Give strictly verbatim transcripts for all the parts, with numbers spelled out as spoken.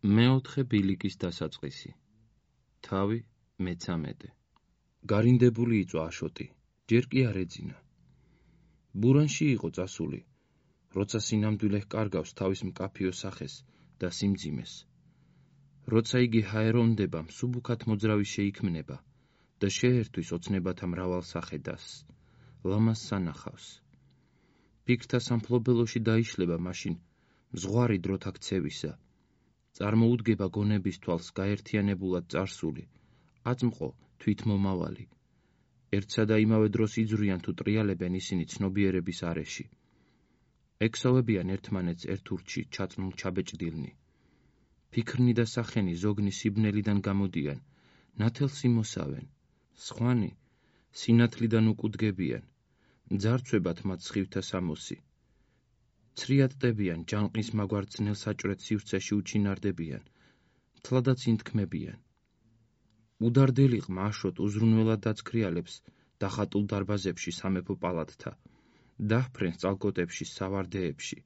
მეოთხე ბილიკის დასაწყისი. თავი მეცამეტე. გარინდებული იწვა აშოტი, ჯერ კი არ ეძინა. ბურანში იყო წასული, როცა სინამდვილე ჰკარგავს თავის მკაფიო სახეს და სიმძიმეს. როცა იგი ჰაერონდება, მსუბუქად მოძრავი შეიქმნება და შეერთვის ოცნებათა მრავალ სახედას, ლამაზ სანახავს. ფიქრთა სამფლობელოში დაიშლება მაშინ მზღვარი დროთა ქცევისა. წარმოუდგება გონების თვალს გაერთიანებულად წარსული, აწმყო თვითმომავალი. ერთსა და იმავე დროს იძვრიან თუ ტრიალებენ ისინი ცნობიერების არეში. ექსოვებიან ერთმანეთს ერთ ურჩში ჩაწნულ ჩაბეჭდილნი. ფიქრნი და სახენი ზოგნი სიბნელიდან გამოდიან, ნათელს იმოსავენ. სხვანი სინათლიდან უკუდგებიან, ძარცვებათ მათ სხივთა სამოსი. ცრიატდებიან ჯანყის მაგვარ ძნელ საჭვრეთ სივრცეში უჩინარდებიან, თლადაც ინთქმებიან. უდარდელი ყმა აშოტ უზრუნველად დაცქრიალებს დახატულ დარბაზებში სამეფო პალატთა, დაჰფრენს წალკოტებში სავარდეებში,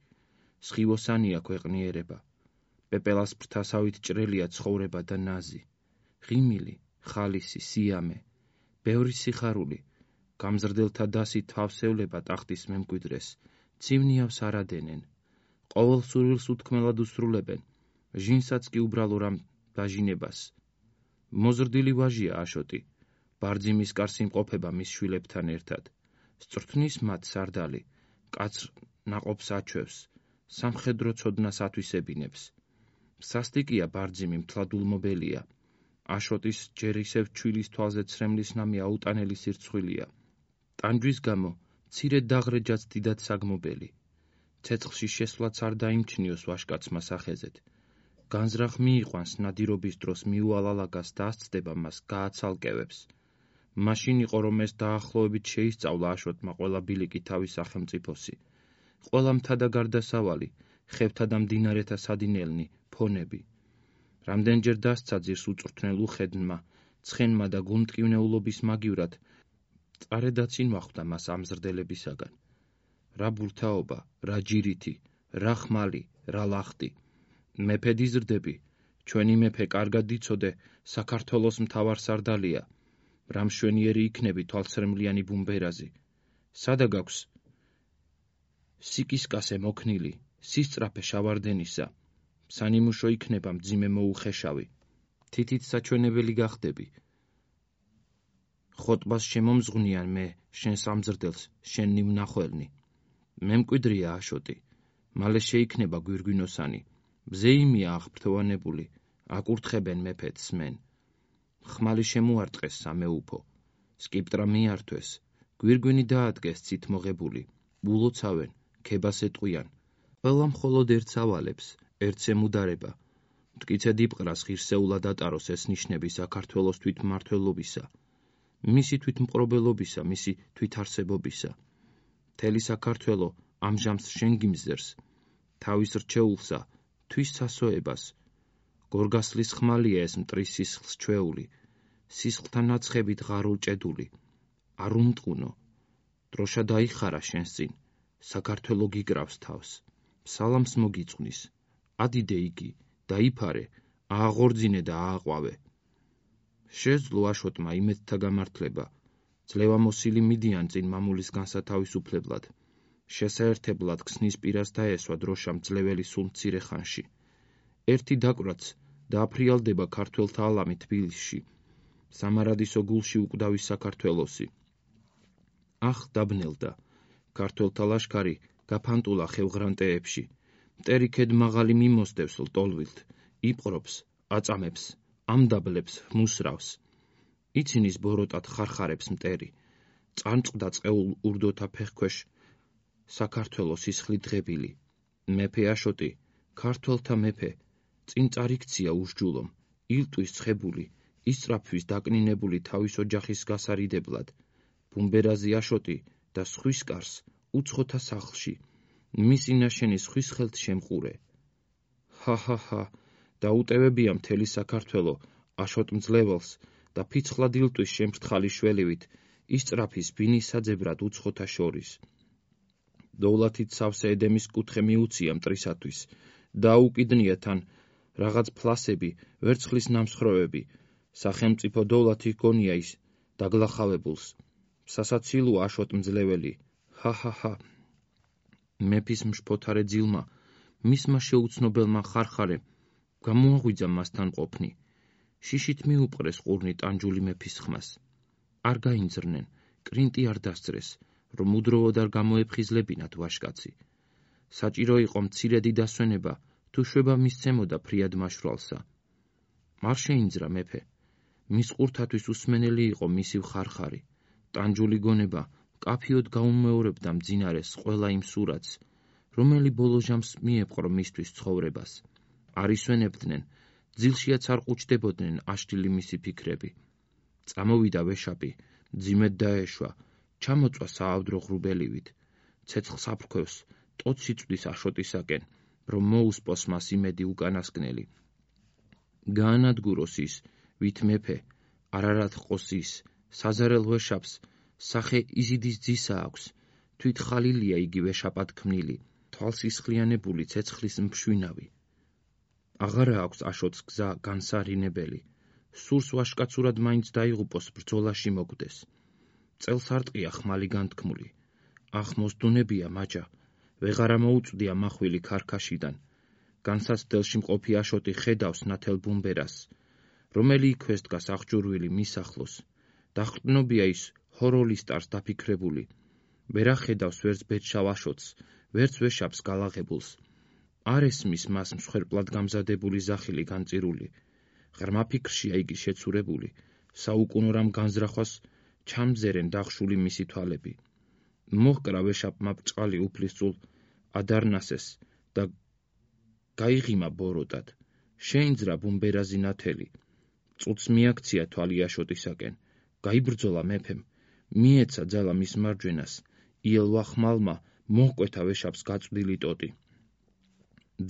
სხივოსანია ქვეყნიერება, პეპელას ფრთასავით ჭრელია ცხოვრება და ნაზი, ღიმილი, ხალისი, სიამე, ბევრი სიხარული, გამზრდელთა დასი თავსევლება ტახტის მემკვიდრეს, ცივნიავს არადენენ, ყოველ სურვილს უთქმელად უსრულებენ, ჟინსაც კი უბრალო რამ დაჟინებას. მოზრდილი ვაჟია აშოტი, ბარძიმის კარს იმყოფება მის შვილებთან ერთად, სწრთნის მათ სარდალი, კაცრ ნაყოფს აჩვევს, სამხედრო ცოდნას ათვისებინებს. სასტიკია ბარძიმი მთლადულმობელია, აშოტის ჯერ ისევ ჩვილის თვალზე ცრემლის ნამი აუტანელი სირცხვილია. ტანჯვის გამო მცირე დაღრეჯაც დიდად საგმობელი. ცეცხლში შესვლაც არ დაიმჩნიოს ვაჟკაცმა სახეზეთ. განზრახ მიიყვანს ნადირობის დროს მიუალალაგას და ასწდება მას გააცალკევებს. მაშინ იყო რომ ეს დაახლოებით შეისწავლა აშოტმა ყველა ბილიკი თავის სახელმწიფოსი. ყველა მთა და გარდასავალი, ხევთა და მდინარეთა სადინელნი, ფონები. რამდენჯერ დასცა ძირს უწვრთნელ უხედნმა, ცხენმა და გულმტკივნეულობის მაგივრად, წარედაც ინვახვდა მას ამზრდებისაგან. რა ბურთაობა, რა ჯირითი, რა ხმალი, რა ლახტი. მეფე დიზრდები, ჩვენი მეფე კარგად იცოდე, საქართველოს მთავარ სარდალია, რა მშვენიერი იქნები თვალსრემლიანი ბუმბერაზი. სადა გაქვს სიკისკასე მოქნილი, სისწრაფე შავარდენისა, სანიმუშო იქნება მძიმე მოუხეშავი. თითით საჩვენებელი გახდები. ხოტბას შემომზღვნიან მე, შენ სამზრდელს, შენ ნიმნახველნი. მემკვიდრია აშოტი, მალე შეიქმნება გვირგვინოსანი. მზეიმია აღფრთოვანებული, აკურთხებენ მეფეთს მენ. ხმალი შემოარტყეს სამეუფო, სკიპტრა მიართვეს, გვირგვინი დაადგეს ცით მოღებული, ულოცავენ, ქებას ეტყვიან. ყველა მხოლოდ ერთს ავალებს, ერთს ემუდარება. მტკიცე დიპყრას ღირსეულად ატაროს ეს ნიშნები საქართველოს თვითმმართველობისა, მისი თვითმპყრობელობისა, მისი თვითარსებობისა. მთელი საქართველო ამჟამს შენ გიმზერს, თავის რჩეულსა, თვის სასოებას. გორგასლის ხმალია ეს მტრის სისხლს ჩვეული, სისხლთა ნაცხებით ღარულ ჭედული. არ უმტყუნო, დროშა დაიხარა შენს წინ, საქართველო გიკრავს თავს, სალამს მოგიწვნის. ადიდე იგი, დაიფარე, ააღორძინე და ააყვავე. შეძლო აშოტმა იმედთა გამართლება, ძლევამოსილი მიდიან წინ მამულის განსათავისუფლებლად. შესაერთებლად ქსნის პირას დაესვა დროშამ ძლეველი სულ მცირე ხანში. ერთი დაკვრაც დააფრიალდება ქართველთა ალამი თბილისში, სამარადისო გულში უკვდავის საქართველოსი. ახ დაბნელდა, ქართველთა ლაშქარი გაფანტულა ხევღრანტეებში, მტერი ქედმაღალი მიმოსდევს ლტოლვილთ, იპყრობს, აწამებს, ამდაბლებს, მუსრავს. იცინის ბოროტად ხარხარებს მტერი, წანწყდა წყეულ ურდოთა ფეხქვეშ საქართველო სისხლით დღებილი. მეფე აშოტი, ქართველთა მეფე, წინ წარიქცია უსჯულომ, ილტვის ცხებული, ისწრაფვის დაკნინებული თავის ოჯახის გასარიდებლად. ბუმბერაზი აშოტი და სხვის კარს უცხოთა სახლში, მისი ნაშენი სხვის ხელთ შემყურე. ჰა-ჰა-ჰა, დაუტევებია მთელი საქართველო აშოტ მძლეველს და ფიცხლად ილტვის შემფრთხალი შველივით, ისწრაფის ბინის საძებრად უცხოთა შორის. დოვლათით სავსე ედემის კუთხე მიუცია მტრისათვის, დააუკიდნია თან რაღაც ფლასები, ვერცხლის ნამსხვრევები, სახელმწიფო დოვლათი ჰგონია ის დაგლახავებულს. სასაცილოა აშოტ მძლეველი. ჰა-ჰა-ჰა. მეფის მშფოთარე ძილმა, მისმა შეუცნობელმა ხარხარემ გამოაღვიძა მასთან ყოფნი. შიშით მიუპყრეს ყურნი ტანჯული მეფის ხმას. არ გაინძრნენ, კრინტი არ დასწრეს, რომ უდროვოდ არ გამოეფხიზლებინათ ვაშკაცი. საჭირო იყო მცირედი დასვენება, თუ შვება მისცემოდა ფრიად მაშვრალსა. არ შეინძრა მეფე. მის ყურთათვის უსმენელი იყო მისი ხარხარი. ტანჯული გონება კაფიოდ გაუმეორებდა მძინარეს ყველა იმ სურათს, რომელი ბოლო ჟამს მიეპყრო მისთვის ცხოვრებას. არ ისვენებდნენ, ძილშიაც არ ყუჩდებოდნენ აშლილი მისი ფიქრები. წამოვიდა ვეშაპი, მძიმედ დაეშვა, ჩამოწვა საავდრო ღრუბელივით, ცეცხლს აფრქვევს, ტოტს იწვდის აშოტისაკენ, რომ მოუსპოს მას იმედი უკანასკნელი. გაანადგუროს ის, ვით მეფე, არარად ჰყოს ის, საზარელ ვეშაპს, სახე იზიდის ძისა აქვს, თვით ხალილია იგი ვეშაპად ქმნილი, თვალსისხლიანებული ცეცხლის მშვინავი. აღარა აქვს აშოტს გზა განსარინებელი, სურს ვაშკაცურად მაინც დაიღუპოს ბრძოლაში მოკვდეს. წელს არტყია ხმალი განთქმული, ახ მოსდუნებია მაჯა, ვეღარა მოუწვდია მახვილი ქარქაშიდან. განსაცდელში მყოფი აშოტი ხედავს ნათელ ბუმბერას, რომელი იქვე დგას აღჭურვილი მის ახლოს. დახრტნობია ის ჰოროლისტარს დაფიქრებული. ვერ ახედავს ვერც ბედშავ აშოტს, ვერც ვეშაპს გალაღებულს. არ ესმის მას მსხვერპლად გამზადებული ზახილი განწირული. ღრმა ფიქრშია იგი შეცურებული, საუკუნო რამ განზრახვას ჩამზერენ დახშული მისი თვალები. მოჰკრა ვეშაპმა ბრჭყალი უფლისწულ ადარნასეს და გაიღიმა ბოროტად. შეინძრა ბუმბერაზი ნათელი. წუთს მიაქცია თვალი აშოტისაკენ. გაიბრძოლა მეფემ, მიეცა ძალა მის მარჯვენას, იელვა ხმალმა მოჰკვეთა ვეშაპს გაწვდილი ტოტი.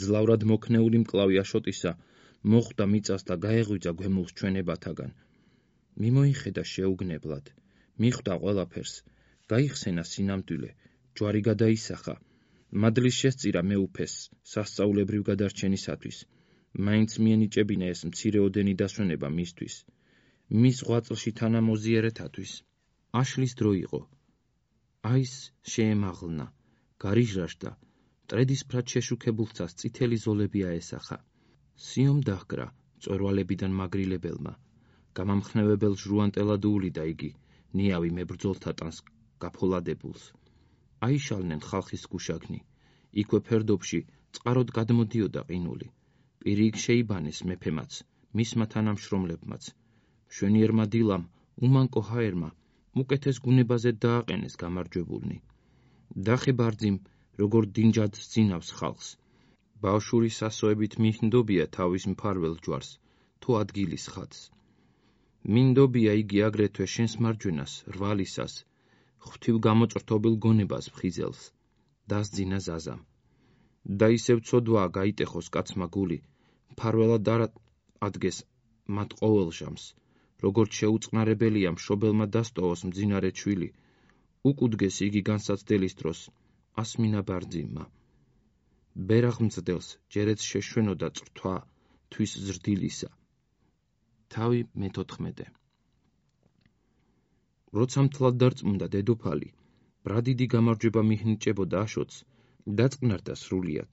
ძლავრად მოქნეული მკლავი აშოტისა მოხვდა მიწას და გაეღვიძა გვემულს ჩვენებათაგან. მიმოიხედა შეუგნებლად, მიხვდა ყველაფერს, გაიხსენა სინამდვილე, ჯვარი გადაისახა, მადლის შესწირა მეუფეს სასწაულებრივ გადარჩენისათვის, მაინც მიენიჭებინა ეს მცირეოდენი დასვენება მისთვის, მის ღვაწლში თანამოზიერეთათვის. აშლის დრო იყო. აის შეემაღლნა, გარიჟრაჟდა, მტრედისფრად შეშუქებულთას წითელი ზოლები აესახა. სიომ დაჰკრა მწვერვალებიდან მაგრილებელმა, გამამხნევებელ ჟრუანტელად უვლიდა იგი, ნიავი მებრძოლთა ტანს გაფოლადებულს. აიშალნენ ხალხის გუშაგნი, იქვე ფერდობში წყაროდ გადმოდიოდა ყინული. პირიქ შეიბანეს მეფემაც, მისმა თანამშრომლებმაც. მშვენიერმა დილამ, უმანკო ჰაერმა, უკეთეს გუნებაზე დააყენეს გამარჯვებულნი. დახე ბარძიმ, როგორ დინჯად სძინავს ხალხს. ბავშვური სასოებით მიჰნდობია თავის მფარველ ჯვარს, თუ ადგილის ხატს. მინდობია იგი აგრეთვე შენს მარჯვენას, რვალისას, ღვთივ გამოწრთობილ გონებას ფხიზელს, დასძინა ზაზამ. და ისევ ცოდვაა გაიტეხოს კაცმა გული, მფარველად არ ადგეს მათ ყოველ ჟამს, როგორც შეუწყნარებელია მშობელმა დასტოვოს მძინარე ჩვილი, უკუდგეს იგი განსაცდელის დროს, ასმინა ბარძიმმა. ბერაღ მძდელს ჯერეც შეშვენოდა წრთვა თვის ზრდილისა. თავი მეთოთხმეტე. როცა მთლად დარწმუნდა დედოფალი, ბრადიდი გამარჯვება მიჰნიჭებოდა აშოტს, დაწყნარდა სრულიად.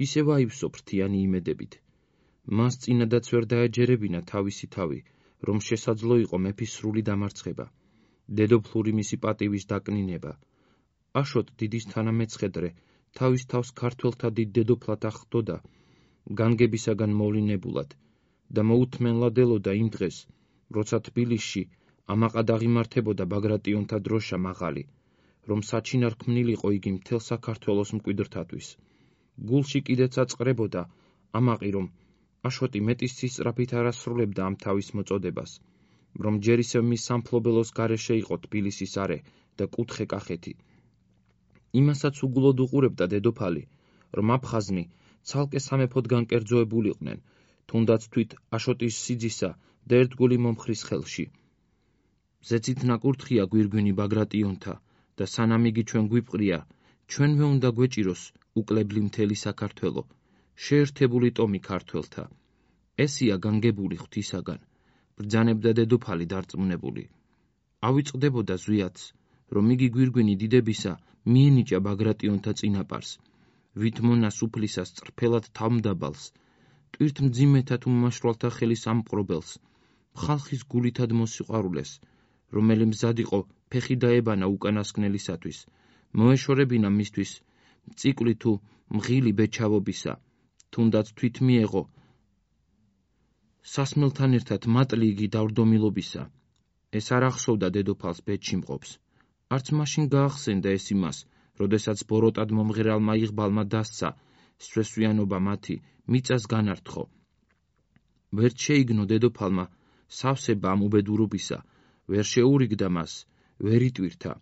ისევ აივსო ფრთიანი იმედებით. მას წინადაც ვერ დაეჯერებინა თავისი თავი, რომ შესაძლო იყო მეფის სრული დამარცხება, დედოფლური მისი პატივის დაკნინება. აშოტ დიდის თანამეცხედრე თავის თავს ქართველთა დიდ დედოფლად ახდოდა, განგებისაგან მოვლინებულად და მოუთმენლად ელოდა იმ დღეს, როცა თბილისში ამაყად აღიმართებოდა ბაგრატიონთა დროშა მაღალი, რომ საჩინარ ქმნილიყო იგი მთელ საქართველოს მკვიდრთათვის. გულში კიდეც აწყრებოდა ამაყი, რომ აშოტი მეტის სისწრაფით არ ასრულებდა ამ თავის მოწოდებას, რომ ჯერ ისევ მის სამფლობელოს გარეშე იყო თბილისის არე და კუთხე კახეთი. იმასაც უგულოდ უყურებდა დედოფალი, რომ აფხაზნი ცალკე სამეფოდ განკერძოებულიყვნენ, თუნდაც თვით აშოტის სიძისა და ერთგული მომხრის ხელში. ზეცით ნაკურთხია გვირგვინი ბაგრატიონთა და სანამ იგი ჩვენ გვიპყრია, ჩვენვე უნდა გვეჭიროს უკლებლი მთელი საქართველო, შეერთებული ტომი ქართველთა. ესია განგებული ღვთისაგან, ბრძანებდა დედოფალი დარწმუნებული. ავიწყდებოდა ზვიათს, რომ იგი გვირგვინი დიდებისა მიენიჭა ბაგრატიონთა წინაპარს, ვით მონას უფლისას წრფელად თავმდაბალს, ტვირთმძიმეთა თუ მმაშვრალთა ხელის ამპყრობელს, ხალხის გულითად მოსიყვარულეს, რომელი მზად იყო ფეხი დაებანა უკანასკნელისათვის, მოეშორებინა მისთვის ციკლი თუ მღილი ბეჩავობისა, თუნდაც თვით მიეღო სასმელთან ერთად მატლი იგი დავრდომილობისა. ეს არ ახსოვდა დედოფალს ბედში მყოფს. არც მაშინ გაახსენდა ეს იმას, როდესაც ბოროტად მომღერალმა იღბალმა დასცა სვესვიანობა მათი მიწას განართხო. ვერ შეიგნო დედოფალმა სავსება ამ უბედურობისა, ვერ შეურიგდა მას, ვერ იტვირთა.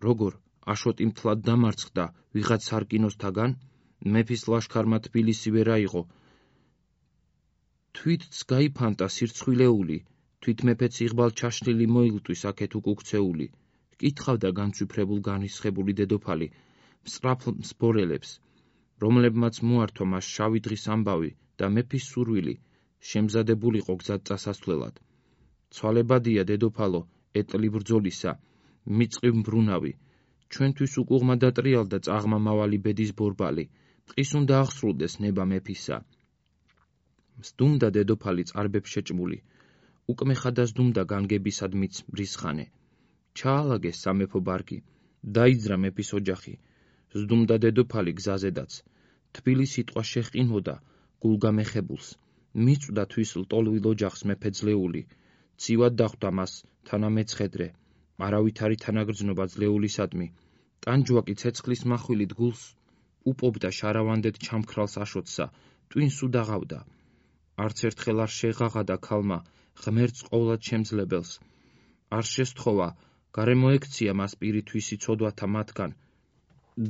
როგორ აშოტი მთლად დამარცხდა ვიღაც სარკინოსთაგან, მეფის ლაშქარმა თბილისი ვერ აიღო. თვითც გაიფანტა სირცხვილეული, თვით მეფეც იღბალ ჩაშლილი მოილტვის აქეთ უკუქცეული. კითხავდა განცვიფრებულ განრისხებული დედოფალი მსწრაფ მსბორელებს, რომლებმაც მოართვა მას შავი დღის ამბავი და მეფის სურვილი, შემზადებულიყო გზად წასასვლელად. ცვალებადია დედოფალო ეტლი ბრძოლისა, მიწყივ მბრუნავი, ჩვენთვის უკუღმა დატრიალდა წაღმა მავალი ბედის ბორბალი, ტყის უნდა აღსრულდეს ნება მეფისა. მსდუმდა დედოფალი წარბებს შეჭმული, უკმეხა დასდუმდა განგებისადმიც მრისხანე. ჩაალაგეს სამეფო ბარგი, დაიძრა მეფის ოჯახი, ზდუმდა დედოფალი გზაზედაც, თბილი სიტყვა შეჰყინოდა გულგამეხებულს, მიწვდა თვის ლტოლვილ ოჯახს მეფე ძლეული, ცივად დახვდა მას თანამეცხედრე, არავითარი თანაგრძნობა ძლეულისადმი, ტანჯვაკი ცეცხლის מחვილით გულს უპობდა შარავანდეთ ჩამქრალს აშოტსა, ტვინს უდაღავდა. არც ერთხელ არ შეღაღადა ქალმა ღმერთს ყოვლად შემძლებელს, არ შესთხოვა გარემოექცია მას პირითვისი ცოდვათა მათგან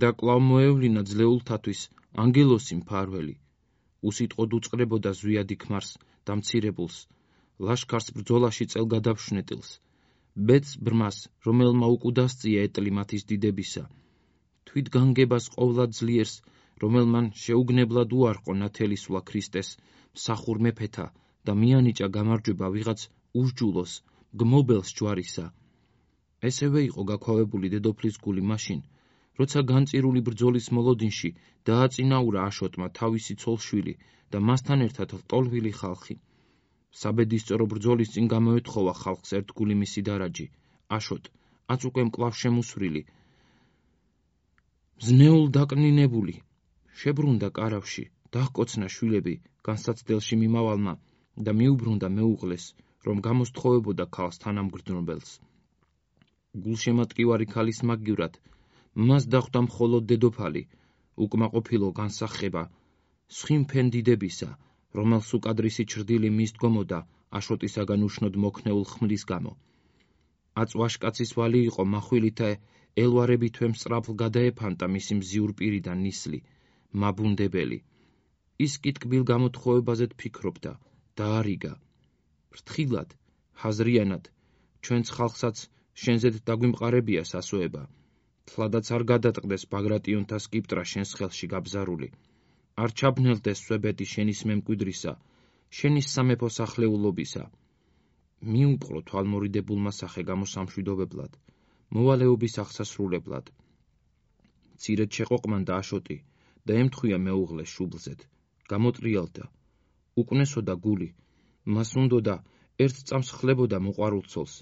და კვლავ მოევლინა ძლეულთათვის ანგელოსი მფარველი. უსიტყვოდ უწყრებოდა ზვიადი ქმარს და მცირებულს, ლაშქარს ბრძოლაში წელგადაფშვნეტილს, ბედს ბრმას, რომელმა უკუდასწია ეტლი მათის დიდებისა, თვით განგებას ყოვლად ძლიერს, რომელმან შეუგნებლად უარყო ნათელისვლა ქრისტეს მსახურ მეფეთა და მიანიჭა გამარჯვება ვიღაც უსჯულოს გმობელს ჯვარისა. ესევე იყო გაქვავებული დედოფლის გული მაშინ, როცა განწირული ბრძოლის მოლოდინში დააწინაურა აშოტმა თავისი ცოლშვილი და მასთან ერთად ლტოლვილი ხალხი. საბედისწერო ბრძოლის წინ გამოეთხოვა ხალხს ერთგული მისი დარაჯი, აშოტ, აც უკვე მკლავ შემუსვრილი, მზნეულ დაკნინებული, შებრუნდა კარავში, დაჰკოცნა შვილები განსაცდელში მიმავალმა და მიუბრუნდა მეუღლეს, რომ გამოსთხოვებოდა ქალს თანამგრძნობელს. გულშემატკივარი ქალის მაგივრად მას დახვდა მხოლოდ დედოფალი, უკმაყოფილო განსახება სხიმფენ დიდებისა, რომელს უკადრისი ჩრდილი მისდგომოდა აშოტისაგან უშნოდ მოქნეულ ხმლის გამო. აწ ვაშკაცის ვალი იყო מחვილითა ელვარებითვე მსწრაფლ გადაეფანტა მისი მზიურ პირიდან ნისლი, მაბუნდებელი. ის კი ტკბილ გამოთხოვებაზედ ფიქრობდა, დაარიგა. ფრთხილად, ჰაზრიანად, ჩვენც ხალხსაც შენზედ დაგვიმყარებია სასოება. თლადაც არ გადატყდეს ბაგრატიონთა სკიპტრა შენს ხელში გაბზარული. არ ჩაბნელდეს სვებეთი შენის მემკვიდრისა, შენის სამეფო სახლეულობისა. მიუპყრო თვალმორიდებულმა სახე გამოსამშვიდობებლად, მოვალეობის აღსასრულებლად. მცირედ შეყოყმანდა აშოტი და ემთხვია მეუღლეს შუბლზედ, გამოტრიალდა. უკნესოდა გული, მას უნდოდა ერთ წამს ხლებოდა მოყვარულ ცოლს,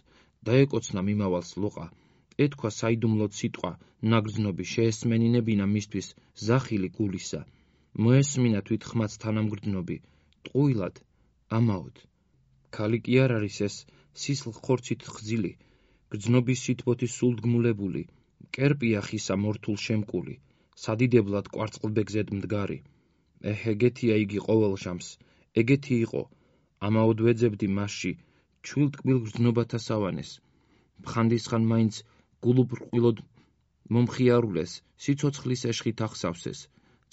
დაეკოცნა მიმავალს ლოყა, ეთქვა საიდუმლოდ სიტყვა ნაგრძნობი, შეესმენინებინა მისთვის ზახილი გულისა, მოესმინა თვით ხმაც თანამგრძნობი, ტყუილად, ამაოდ. ქალი კი არ არის ეს სისხლ ხორცით ხძილი, გრძნობის სითბოთი სულდგმულებული, მკერპია ხისა მორთულ შემკული, სადიდებლად კვარწყლბეგზედ მდგარი. ეჰ, ეგეთია იგი ყოველ ჟამს, ეგეთი იყო, ამაოდ ვეძებდი მასში ჩვილტკბილ გრძნობათა სავანეს. მხანდისხან მაინც გულუბრყვილოდ მომხიარულეს, სიცოცხლის ეშხით ახსავსეს,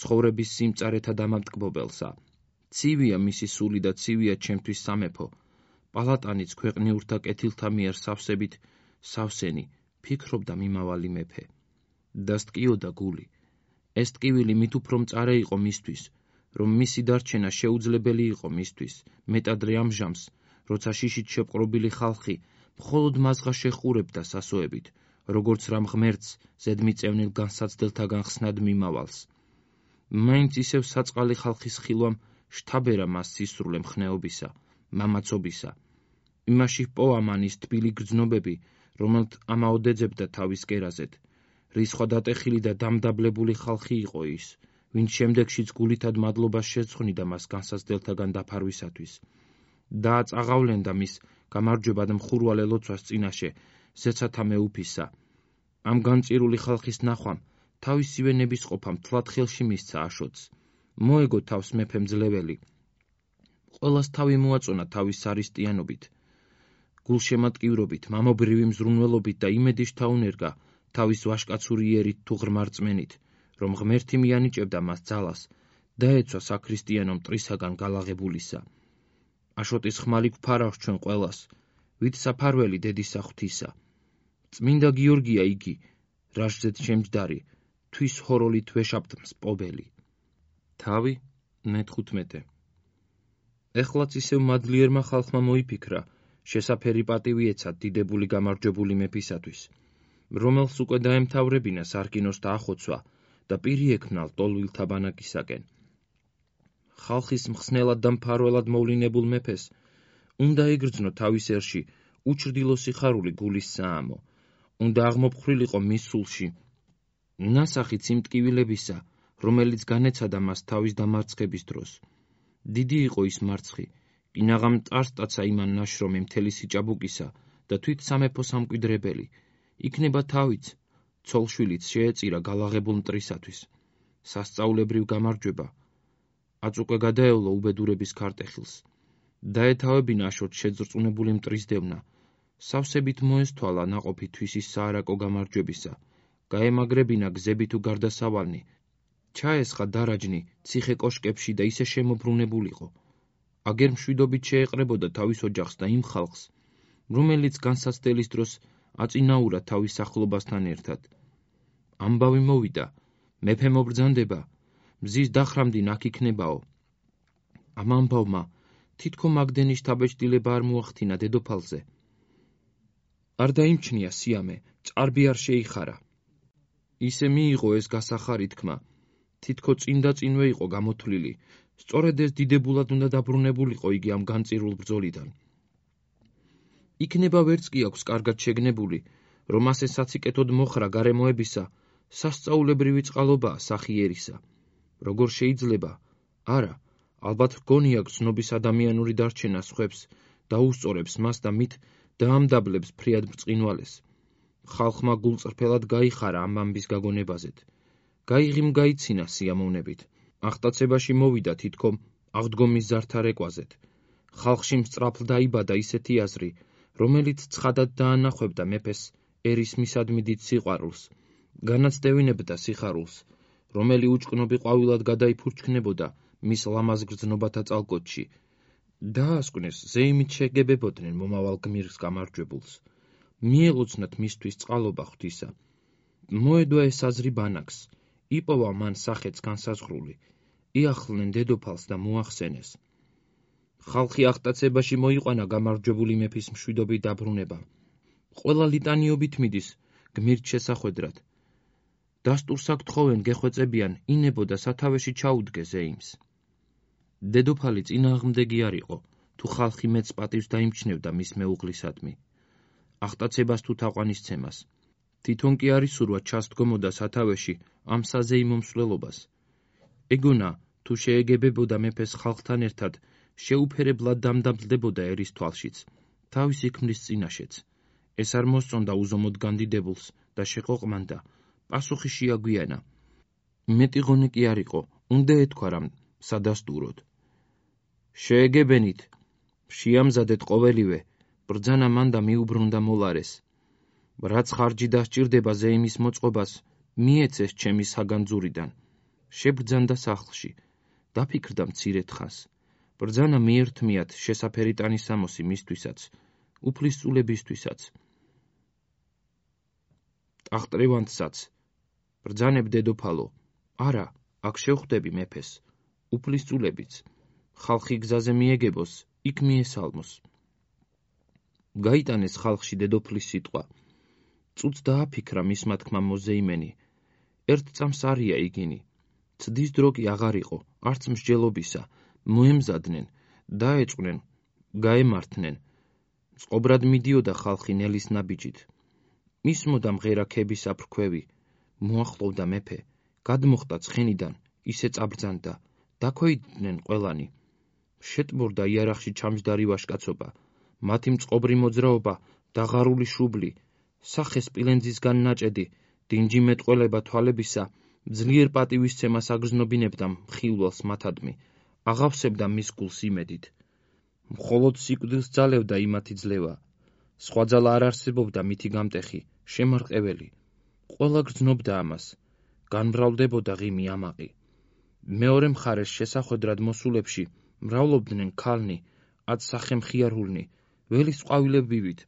ცხოვრების სიმწარეთა დამამტკბობელსა. ცივია მისი სული და ცივია ჩემთვის სამეფო, პალატანიც ქვეყნიურთა კეთილთა მიერ სავსებით სავსენი, ფიქრობდა მიმავალი მეფე. დასტკიოდა გული. ეს ტკივილი მით უფრო მწარე იყო მისთვის, რომ მისი დარჩენა შეუძლებელი იყო მისთვის, მეტადრე ამ ჟამს, როცა შიშით შეპყრობილი ხალხი მხოლოდ მასღა შეხურებდა სასოებით, როგორც რამ ღმერთს ზედმიწევნილ განსაცდელთაგან ხსნად მიმავალს. მაინც ისევ საწყალი ხალხის ხილვამ შთაბერა მას სისრულე მხნეობისა, მამაცობისა. იმაში ჰპოვა მან ის თბილი გრძნობები, რომელთ ამაოდ ეძებდა თავის კერაზედ. რისხვა დატეხილი და დამდაბლებული ხალხი იყო ის, ვინც შემდეგშიც გულითად მადლობას შეძღვნიდა მას განსაცდელთაგან დაფარვისათვის. და წაღავლენდა მის გამარჯვებად მხურვალე ლოცვას წინაშე, ზეცათა მეუფისა. ამ განწირული ხალხის ნახვამ თავისივე ნებისყოფამ თლად ხელში მისცა აშოტს. მოეგო თავს მეფემ ძლეველი. ყველას თავი მოაწონა თავის სარისტიანობით, გულშემატკივრობით, მამობრივი მზრუნველობით და იმედი შთაუნერგა თავის ვაჟკაცური იერით თუ ღრმარწმენით, რომ ღმერთი მიანიჭებდა მას ძალას და ეცვა საქრისტიანო მტრისაგან გალაღებულისა. აშოტის ხმალი გვფარავს ჩვენ ყველას, ვით საფარველი დედისა ღვთისა. წმინდა გიორგია იგი, რაშზეც შემჯდარი, თვის ჰოროლით ვეშაპტ მსპობელი. თავი მეთხუთმეტე. ეხლაც ისევ მადლიერმა ხალხმა მოიფიქრა, შესაფერი პატივი ეცათ დიდებული გამარჯვებული მეფისათვის, რომელს უკვე დაემთავრებინა სარკინოს დაახოცვა და პირი ექმნა ლტოლვილთა ბანაკისაკენ. ხალხის მხსნელად და მფარველად მოვლინებულ მეფეს უნდა იგრძნო თავის ერში უჩრდილო სიხარული გულის საამო, უნდა აღმოფხრილიყო მის სულში ნასახი იმ ტკივილებისა, რომელიც განეცადა მას თავის დამარცხების დროს. დიდი იყო ის მარცხი, კინაღამ წარსტაცა იმან ნაშრომი მთელი სიჭაბუკისა და თვით სამეფო სამკვიდრებელი, იქნება თავიც, ცოლშვილიც შეეწირა გალაღებულ მტრისათვის. სასწაულებრივ გამარჯვება, აწუყე გადაევლო უბედურების ქარტეხილს. დაეთავებინა აშოტ შეძრწუნებული მტრის დევნა, სავსებით მოესთვალა ნაყოფი თვისის საარაკო გამარჯვებისა, გაემაგრებინა გზები თუ გარდასავალნი, ჩაესხა დარაჯნი ციხე კოშკებში და ისე შემობრუნებულიყო. აგერ მშვიდობით შეეყრებოდა თავის ოჯახს და იმ ხალხს, რომელიც განსაცდელის დროს აწინაურა თავის ახლობასთან ერთად. ამბავი მოვიდა, მეფე მობრძანდება, მზის დახრამდი ნაქ იქნებაო. ამ ამბავმა თითქო მაგდენის შთაბეჭდილება არ მოახდინა დედოფალზე. არ დაიმჩნია სიამე, წარბი არ შეიხარა. ისე მიიღო ეს გასახარი თქმა, თითქო წინ და წინვე იყო გამოთვლილი, სწორედ ეს დიდებულად უნდა დაბრუნებულიყო იგი ამ განწირულ ბრძოლიდან. იქნება ვერც კი აქვს კარგად შეგნებული, რომ ასე საციკეთოდ მოხრა გარემოებისა, სასწაულებრივი წყალობაა სახი ერისა. როგორ შეიძლება? არა, ალბათ გონია გრძნობის ადამიანური დარჩენა სხვებს დაუსწორებს მას და მით დაამდაბლებს ფრიად ბრწყინვალეს. ხალხმა გულწრფელად გაიხარა ამ ამბის გაგონებაზეთ. გაიღიმ გაიცინა სიამოვნებით. აღტაცებაში მოვიდა თითქომ აღდგომის ზარდთარეკვაზეთ. ხალხში მსწრაფლ დაიბადა ისეთი აზრი, რომელიც ცხადად დაანახვებდა მეფეს ერის მისადმი დიდ სიყვარულს, განაცდევინებდა სიხარულს, რომელი უჭკნობი ყვავილად გადაიფურჩქნებოდა მის ლამაზ გრძნობათა წალკოტში. დაასკვნეს ზეიმით შეგებებოდნენ მომავალ გმირს გამარჯვებულს. მიელოცნათ მისთვის წყალობა ღვთისა. მოედვა ეს აზრი ბანაკს, იპოვა მან სახეც განსაზღვრული, იახლნენ დედოფალს და მოახსენეს. ხალხი აღტაცებაში მოიყვანა გამარჯვებული მეფის მშვიდობით დაბრუნება. ყველა ლიტანიობით მიდის გმირთ შესახვედრად. დასტურს აქ თხოვენ გეხვეწებიან ინებო და სათავეში ჩაუდგე ზეიმს. დედოფალი წინააღმდეგი არ იყო, თუ ხალხი მეც პატივს დაიმჩნევდა მის მეუღლისადმი. აღტაცებას თუ თაყვანისცემას. თვითონ კი არ ისურვა ჩასდგომოდა სათავეში ამ საზეიმო მსვლელობას. ეგონა, თუ შეეგებებოდა მეფეს ხალხთან ერთად, შეუფერებლად დამდაბლდებოდა ერის თვალშიც, თავისი ქმრის წინაშეც. ეს არ მოსწონდა უზომოდ განდიდებულს და შეყოყმანდა, პასუხი შეაგვიანა. მეტი ღონე კი არ იყო, უნდა ეთქვა რამ სადასტუროდ. შეეგებენით, შეამზადეთ ყოველივე, ბრძანა მანდა მიუბრუნდა მოლარეს. რაც ხარჯი დასჭირდება ზეიმის მოწყობას, მიეცეს ჩემი საგანძურიდან. შებრძანდა სახლში, დაფიქრდა მცირე თხას. ბრძანა მიერთმიათ შესაფერი ტანისამოსი მისთვისაც, უფლისწულებისთვისაც. ტახტრივანთსაც, ბრძანებ დედოფალო, არა, აქ შევხვდები მეფეს, უფლისწულებიც, ხალხი გზაზე მიეგებოს, იქ მიესალმოს. გაიტანეს ხალხში დედოფლის სიტყვა. წუთს დააფიქრა მისმა თქმამ მოზეიმენი. ერთ წამს არია იგინი. ცდის დრო კი აღარ იყო, არც მსჯელობისა, მოემზადნენ, დაეჭყვნენ, გაემართნენ. წყობრად მიდიოდა ხალხი ნელის ნაბიჯით. მისმოდა მღერა ქების აფრქვევი. მოახლოვდა მეფე, გადმოხდა ცხენიდან, ისე წაბრძანდა, დაქვეითდნენ ყველანი. შეტბორდა იარაღში ჩამჯდარი ვაჟკაცობა, მათი მწყობრი მოძრაობა, დაღარული შუბლი, სახე სპილენძისგან ნაჭედი, დინჯი მეტყველება თვალებისა, ძლიერ პატივისცემას აგრძნობინებდა მხილველს მათადმი, აღავსებდა მის გულს იმედით. მხოლოდ სიკვდილს ძალევდა იმათი ძლევა. სხვა ძალა არ არსებობდა მითი გამტეხი, შემარყეველი. ყველა გრძნობდა ამას. განმრავლდებოდა ღიმი ამაყი. მეორე მხარეს შესახვედრად მოსულებში მრავლობდნენ ქალნი, ად სახემხიარულნი, ველის ყვავილებივით,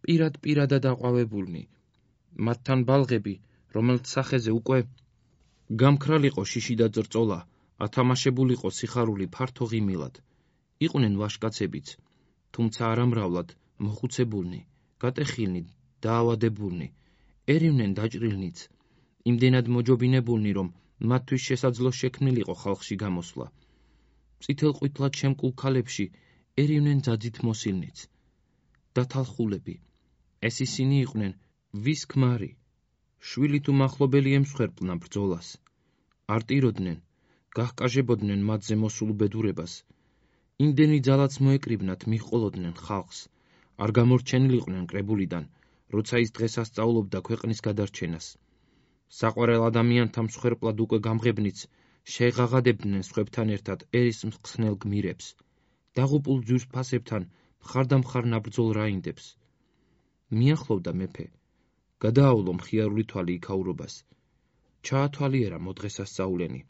პირად პირადად აყვავებულნი. მათთან ბალღები, რომელთ სახეზე უკვე გამქრალიყო შიში და წერწოლა, ათამაშებულიყო სიხარული ფართო ღიმილად. იყვნენ ვაჟკაცებიც, თუმცა არამრავლად, მოხუცებულნი, გატეხილნი, დაავადებულნი, ერივნენ დაჭრილნიც, იმდენად მოჯობინებულნი, რომ მათთვის შესაძლო შექმნილიყო ხალხში გამოსვლა. წითელყვითლად შემკულ ქალებში ერივნენ ძაძით მოსილნიც. დათალხულები, ეს ისინი იყვნენ, ვის ქმარი, შვილი თუ მახლობელი ემსხვერპლნა ბრძოლას. არტიროდნენ, გაჰკაჟებოდნენ მათზე მოსულ უბედურებას. იმდენი ძალაც მოეკრიბნათ, მიჰყოლოდნენ ხალხს. არ გამორჩენილიყვნენ კრებულიდან, როცა ის დღეს ასწავლობდა ქვეყნის გადარჩენას. საყვარელ ადამიანთა მსხვერპლად უკვე გამღებნიც, შეეღაღადებდნენ სხვებთან ერთად ერის მხსნელ გმირებს. დაღუპულ ძვირს ფასებთან მხარდამხარ ნაბრძოლ რაინდებს. მიახლოვდა მეფე. გადაავლო მხიარული თვალი იქაურობას. ჩაათვალიერა მოდღესასწაულენი.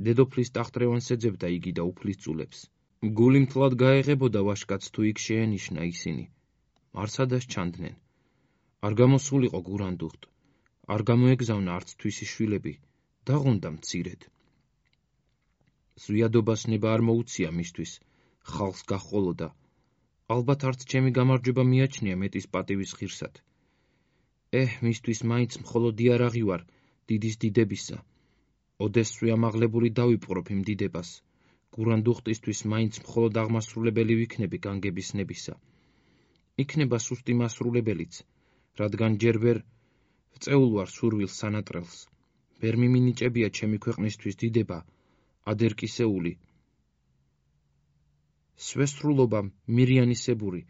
დედოფლის ტახტრევანს ეძებდა იგი და უფლისწულებს. გული მთლად გაეღებოდა ვაჟკაცს თუ იქ შეენიშნა ისინი. არსადას ჩანდნენ. არ გამოსულიყო გურანდუხტ. არ გამოეგზავნა არც თვისი შვილები, დაღონდა მცირედ. ზვიადობას ნება არ მოუცია მისთვის, ხალხს გაჰყოლოდა. ალბათ არც ჩემი გამარჯვება მიაჩნია მეტის პატივის ღირსად. ეჰ, მისთვის მაინც მხოლოდ იარაღი ვარ, დიდის დიდებისა. ოდესვე ამაღლებული დავიპყრობ იმ დიდებას. გურანდუხტისთვის მაინც მხოლოდ აღმასრულებელი ვიქნები განგების ნებისა. იქნება სუსტი მასრულებელიც, რადგან ჯერ ვერ ვწეულ ვარ სურვილს სანატრელს. ვერ მიმინიჭებია ჩემი ქვეყნისთვის დიდება, ადერკისეული. სვესრულობა მირიანისებური,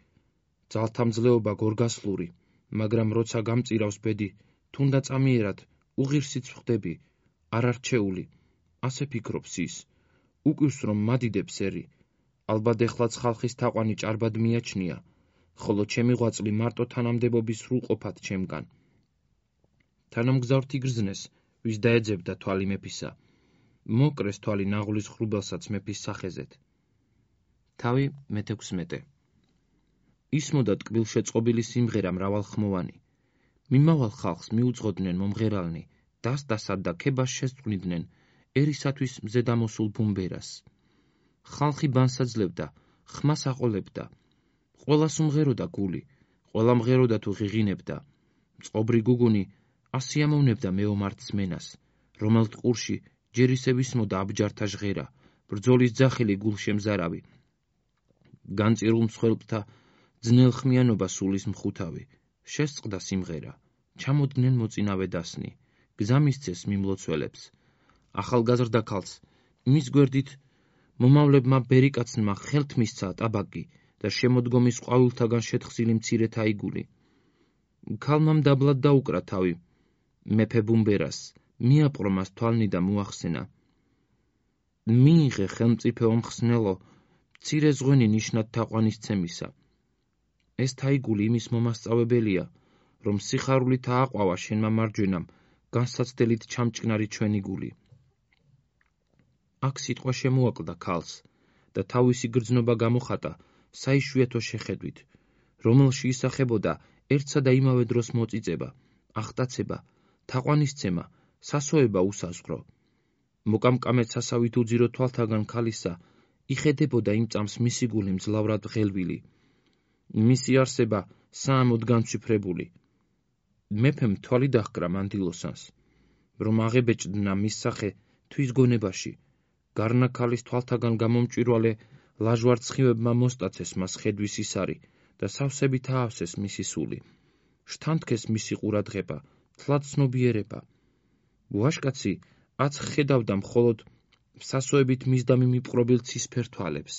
ძალთამძლეობა გორგასლური, მაგრამ როცა გამწირავს ბედი, თუნდა წამიერად, უღირსიც ვხდები, არარჩეული, ასე ფიქრობს ის. უკვირს რომ მადიდებს ერი, ალბათ ეხლაც ხალხის თაყვანი ჭარბად მიაჩნია, ხოლო ჩემი ღვაწლი მარტო თანამდებობის სრულყოფად ჩემგან. თანამგზავრთ იგრძნეს, ვის დაეძებდა თვალი მეფისა. მოკრეს თვალი ნაღლის ხრუბელსაც მეფის სახეზეთ. თავი მეთექვსმეტე. ისმოდა ტკბილშეწყობილი სიმღერა მრავალხმოვანი. მიმავალ ხალხს მიუძღოდნენ მომღერალნი, დასდასად და ქებას შესწვნიდნენ ერისათვის მზე დამოსულ ბუმბერას. ხალხი ბანსაძლევდა, ხმას აყოლებდა. ყველას უმღეროდა გული, ყველა მღეროდა თუ ღიღინებდა. მწყობრი გუგუნი ასიამოვნებდა მეომარ ძმენას, რომელთ ყურში ჯერ ისე ვისმოდა აბჯართა ჟღერა, ბრძოლის ძახილი გულშემზარავი. განწირულ მსხვერპლთა ძნელხმიანობა სულის მხუთავი. შესწყდა სიმღერა, ჩამოდნენ მოწინავე დასნი, გზა მისცეს მიმლოცველებს. ახალგაზრდა ქალს, მის გვერდით მომავლებმა ბერიკაცნმა ხელთ მისცა ტაბაკი და შემოდგომის ყვავილთაგან შეთხზილი მცირე თაიგული. ქალმამ დაბლად დაუკრა თავი მეფე ბუმბერას, მიაპყრო მას თვალნი და მოახსენა. მიიღე ხელმწიფე ომხსნელო, მცირე ზღვენი ნიშნად თაყვანისცემისა. ეს თაიგული იმის მომასწავებელია, რომ სიხარულით ააყვავა შენმა მარჯვენამ განსაცდელით ჩამჭკნარი ჩვენი გული. აქ სიტყვა შემოაკლდა ქალს და თავისი გრძნობა გამოხატა საიშვიათო შეხედვით, რომელში ისახებოდა ერთსა და იმავე დროს მოწიწება, ახტაცება, თაყვანისცემა, სასოება უსაზღვრო. მოკამკამეთ სასავით უძირო თვალთაგან ქალისა იხედებოდა იმ წამს მისი გული მძლავრად ღელვილი, მისი არსება საამოდ განცვიფრებული. მეფემ თვალი დაჰკრა მანდილოსანს, რომ აღებეჭდნა მის სახე თვის გონებაში, გარნა ქალის თვალთაგან გამომჭვირვალე ლაჟვარ ცხივებმა მოსტაცეს მას ხედვის ისარი და სავსებით აავსეს მისი სული. შთანთქეს მისი ყურადღება, თლად ცნობიერება. ვაშკაცი აც ხედავდა მხოლოდ სასოებით მისდამი მიპყრობილ ცისფერ თვალებს,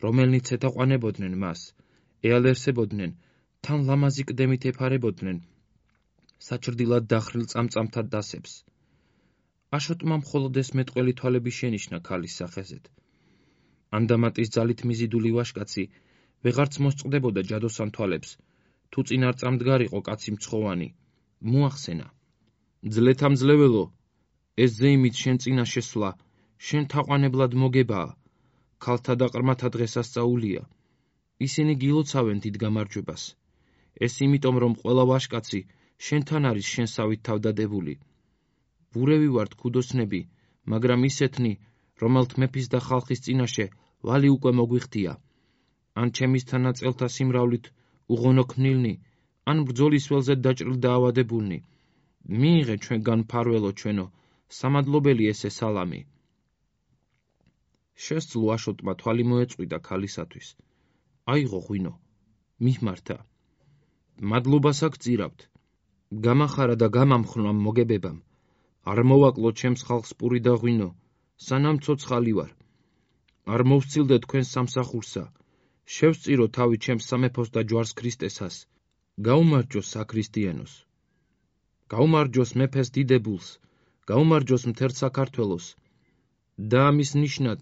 რომელნიც ეთაყვანებოდნენ მას, ეალერსებოდნენ, თან ლამაზი კდემით ეფარებოდნენ საჭრდილად დახრილ წამწამთა დასებს. აშოტმა მხოლოდ ეს მეტყველი თვალები შენიშნა ქალის სახეზეთ. ანდამატის ძალით მიზიდული ვაშკაცი ვეღარც მოსწყდებოდა ჯადოსან თვალებს, თუ წინ არ წამდგარიყო კაცი მცხოვანი. მოახსენა: ძლეთამძლეველო, ეს ზეიმით შენ წინა შესვლა, შენ თაყვანებლად მოგებაა, ქალთა და ყრმათა დღესასწაულია. ისინი გილოცავენ დიდ გამარჯვებას. ეს იმიტომ, რომ ყველა ვაშკაცი შენთან არის შენსავით თავდადებული. ბურევი ვართ ქუდოსნები, მაგრამ ისეთნი, რომელთ მეფის და ხალხის წინაშე ვალი უკვე მოგვიხდია. ან ჩემისთან ნაწელთა სიმრავლით უღონო ქმნილნი, ან ბრძოლის ველზე დაჭრილ დაავადებულნი. მიიღე ჩვენგან მფარველო ჩვენო, სამადლობელი ესე სალამი. შესძლო აშოტმა თვალი მოეწყვიდა ქალისათვის. აიღო ღვინო, მihmarta. მადლობას აგწირავთ. გამახარა და გამამხნვა მოგებებამ. არ მოვაკლო ჩემს ხალხს პური და ღვინო, სანამ ცოცხალი ვარ. არ მოვსწილდე თქვენს სამსახურსა. შევსწირო თავი ჩემს სამეფოს და ჯვარს ქრისტესას. გაუმარჯოს საქრისტიანოს. გაუმარჯოს მეფეს დიდებულს, გაუმარჯოს მთელ საქართველოს. და ამის ნიშნად,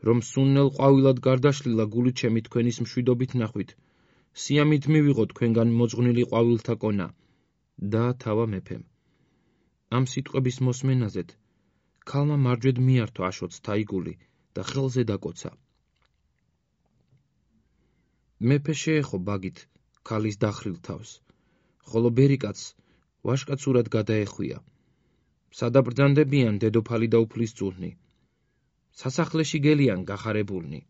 რომ სუნნელ ყვავილად გარდაშლილა გული ჩემი თქვენის მშვიდობით ნახვით, სიამით მივიღო თქვენგან მოძღვნილი ყვავილთა კონა. დაათავა მეფემ. ამ სიტყვების მოსმენაზეთ ქალმა მარჯვედ მიართო აშოტს თაიგული და ხელზე დაკოცა. მეფე შეეხო ბაგით ქალის დახრილ თავს, ხოლო ბერიკაცს ვაშკაცურად გადაეხვია. სადაბრძანდებიან დედოფალი და უფლისწულნი. სასახლეში გელიან გახარებულნი.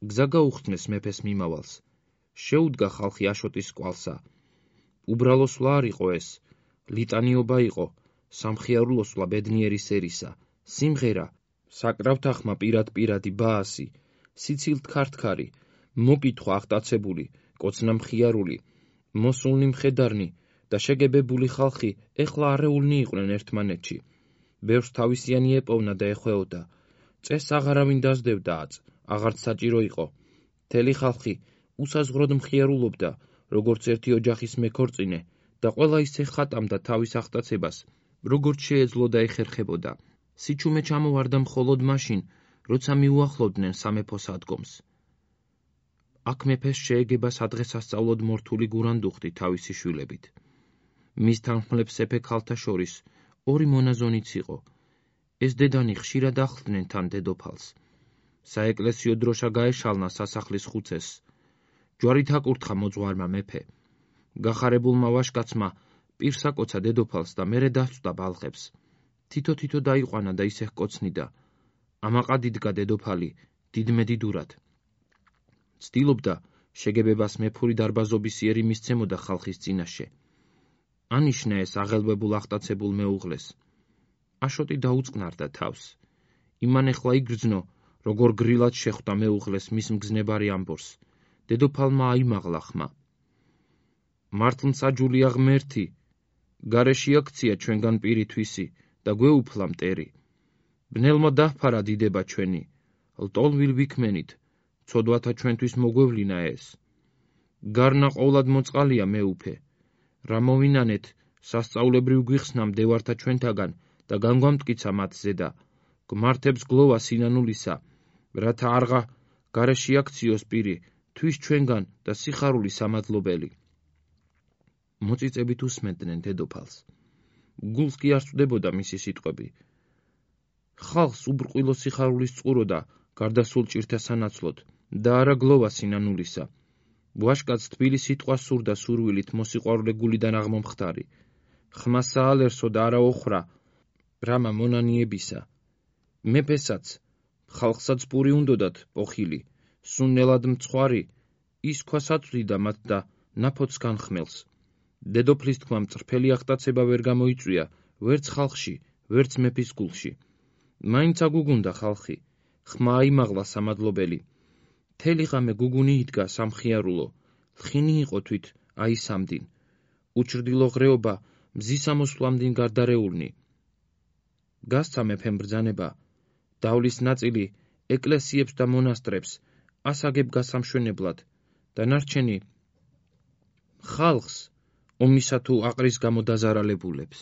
გზა გაუხსნეს მეფეს მიმავალს. შეუდგა ხალხი აშოტის კვალსა. უბრალო სვლა არ იყო ეს, ლიტანიობა იყო, სამხიარულო სვლა ბედნიერი სერისა, სიმღერა, საკრავთახმა პირად-პირადი ბაასი, სიცილთ ქართქარი, მოკითხვა აღტაცებული, კოცნა მხიარული, მოსულნი მხედარნი და შეგებებული ხალხი ეხლა არეულნი იყვნენ ერთმანეთში. ბევრს თავისიანი ეპოვნა და ეხვეოდა. წესს აღარავინ დასდევდა აწ, აღარც საჭირო იყო. მთელი ხალხი უსაზღვროდ მხიარულობდა, როგორც ერთი ოჯახის მეკორწინე და ყველა ისე ხატამდა თავის აღტაცებას, როგორც შეეძლო და ეხერხებოდა. სიჩუმე ჩამოვარდა მხოლოდ მაშინ, როცა მიუახლოვდნენ სამეფოს ადგომს. აქ მეფეს შეეგება სადღესასწაულოდ მორთული გურანდუხტი თავისი შვილებით. მის თანხმლებს ეფე ქალთა შორის ორი მონაზონიც იყო. ეს დედანი ხშირად ახლდნენ თან დედოფალს. საეკლესიო დროშა გაეშალნა სასახლის ხუცესს. ჯვარით აკურთხა მოძღვარმა მეფე. გახარებულმა ვაშკაცმა პირს აკოცა დედოფალს და მერე დასწვდა ბალღებს. თითო-თითო დაიყვანა და ისე ჰკოცნიდა. ამაყად იდგა დედოფალი დიდმედიდურად. ცდილობდა შეგებებას მეფური დარბაზობის იერი მისცემოდა ხალხის წინაშე. ანიშნა ეს აღელვებულ აღტაცებულ მეუღლეს. აშოტი დაუწყნარდა თავს. იმან ეხლა იგრძნო, როგორ გრილად შეხვდა მეუღლეს მის მგზნებარი ამბორს. დედოფალმა აიმაღლა ხმა. მართლმსაჯულია ღმერთი, გარეში აქცია ჩვენგან პირი თვისი და გვეუფლა მტერი. ბნელმა დაჰფარა დიდება ჩვენი, ლტოლვილ ვიქმენით, ცოდვათა ჩვენთვის მოგვევლინა ეს. გარნა ყოვლად მოწყალია მეუფე. რა მოვინანეთ, სასწაულებრივ გვიხსნა მდევართა ჩვენთაგან და განგვამტკიცა მათ ზედა. გმართებს გლოვა სინანულისა, რათა არღა გარეში აქციოს პირი, თვის ჩვენგან და სიხარული სამადლობელი. მოწიწებით უსმენდნენ დედოფალს. გულს კი არ სწვდებოდა მისი სიტყვები. ხალხს უბრყვილო სიხარულის წყუროდა გარდასულ ჭირთა სანაცვლოდ და არა გლოვა სინანულისა. ვაშკაც თბილი სიტყვა სურდა სურვილით მოსიყვარულე გულიდან აღმომხდარი. ხმა საალერსო და არა ოხრა, ბრამა მონანიებისა, მეფესაც, ხალხსაც პური უნდოდათ პოხილი, სუნნელად მცხვარი, ის ქვას აწვდიდა მათ და ნაფოც განხმელს. დედოფლის თქმა მწრფელი აღტაცება ვერ გამოიწვია, ვერც ხალხში, ვერც მეფის გულში. მაინც აგუგუნდა ხალხი, ხმა აიმაღლა სამადლობელი. მთელი ღამე გუგუნი იდგა სამხიარულო, ლხინი იყო თვით აისამდინ. უჩრდილო ღრეობა მზის ამოსვლამდინ გარდარეულნი. გასცა მეფემ ბრძანება, დავლის ნაწილი ეკლესიებს და მონასტრებს ასაგებ გასამშვენებლად, და ნარჩენი ხალხს ომისა თუ აყრის გამო დაზარალებულებს.